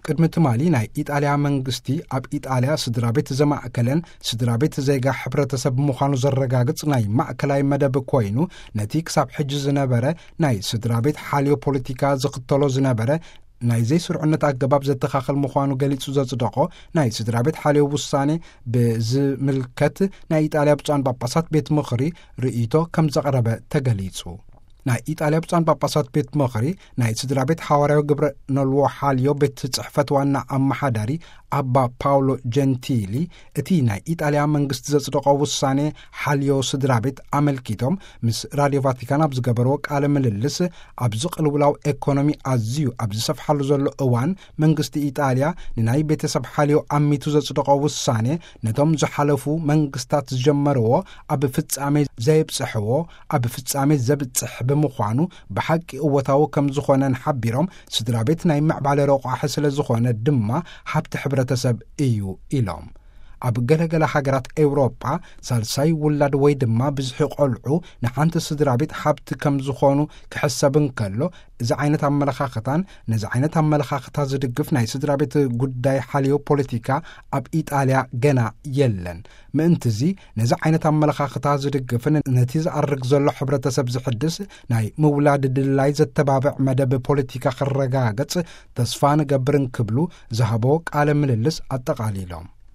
ቅድሚ ትማሊ ናይ ኢጣልያ መንግስቲ ኣብ ኢጣልያ ስድራ ቤት ዘማእከለን ስድራ ቤት ዜጋ ሕብረተሰብ ምዃኑ ዘረጋግጽ ናይ ማእከላይ መደብ ኮይኑ፣ ነቲ ክሳብ ሕጂ ዝነበረ ናይ ስድራ ቤት ሓልዮ ፖለቲካ ዝኽተሎ ዝነበረ ናይ ዘይስርዑነት ኣገባብ ዘተኻኽል ምዃኑ ገሊጹ ዘጽደቖ ናይ ስድራ ቤት ሓልዮ ውሳኔ ብዝምልከት ናይ ኢጣልያ ብፁዓን ጳጳሳት ቤት ምኽሪ ርእይቶ ከም ዘቕረበ ተገሊጹ። ናይ ኢጣልያ ብፁዓን ጳጳሳት ቤት ምኽሪ ናይ ስድራ ቤት ሓዋርያዊ ግብረ ነልዎ ሓልዮ ቤት ጽሕፈት ዋና ኣመሓዳሪ ኣባ ፓውሎ ጀንቲሊ፣ እቲ ናይ ኢጣልያ መንግስቲ ዘጽደቖ ውሳኔ ሓልዮ ስድራ ቤት ኣመልኪቶም ምስ ራድዮ ቫቲካን ኣብ ዝገበርዎ ቃለ ምልልስ፣ ኣብዚ ቅልውላው ኤኮኖሚ ኣዝዩ ኣብ ዝሰፍሓሉ ዘሎ እዋን፣ መንግስቲ ኢጣልያ ንናይ ቤተሰብ ሓልዮ ኣሚቱ ዘጽደቖ ውሳኔ፣ ነቶም ዝሓለፉ መንግስታት ዝጀመርዎ ኣብ ፍጻሜ ዘየብጽሕዎ ኣብ ፍጻሜ ዘብጽሕ ብምዃኑ፣ ብሓቂ እወታዊ ከም ዝኾነን ሓቢሮም፣ ስድራ ቤት ናይ ምዕባለ ረቋሒ ስለ ዝኾነ ድማ ሃብቲ ሕብረተሰብ እዩ ኢሎም። ኣብ ገለገለ ሃገራት ኤውሮጳ፣ ሳልሳይ ውላድ ወይ ድማ ብዝሒ ቆልዑ ንሓንቲ ስድራ ቤት ሃብቲ ከም ዝኾኑ ክሕሰብ እንከሎ፣ እዚ ዓይነት ኣመለኻኽታን ነዚ ዓይነት ኣመለኻኽታ ዝድግፍ ናይ ስድራ ቤት ጉዳይ ሓልዮ ፖለቲካ ኣብ ኢጣልያ ገና የለን። ምእንትዚ ነዚ ዓይነት ኣመለኻኽታ ዝድግፍን ነቲ ዝኣርግ ዘሎ ሕብረተሰብ ዝሕድስ ናይ ምውላድ ድላይ ዘተባብዕ መደብ ፖለቲካ ክረጋገጽ ተስፋ ንገብር እንክብሉ ዝሃቦ ቃለ ምልልስ ኣጠቓሊሎም።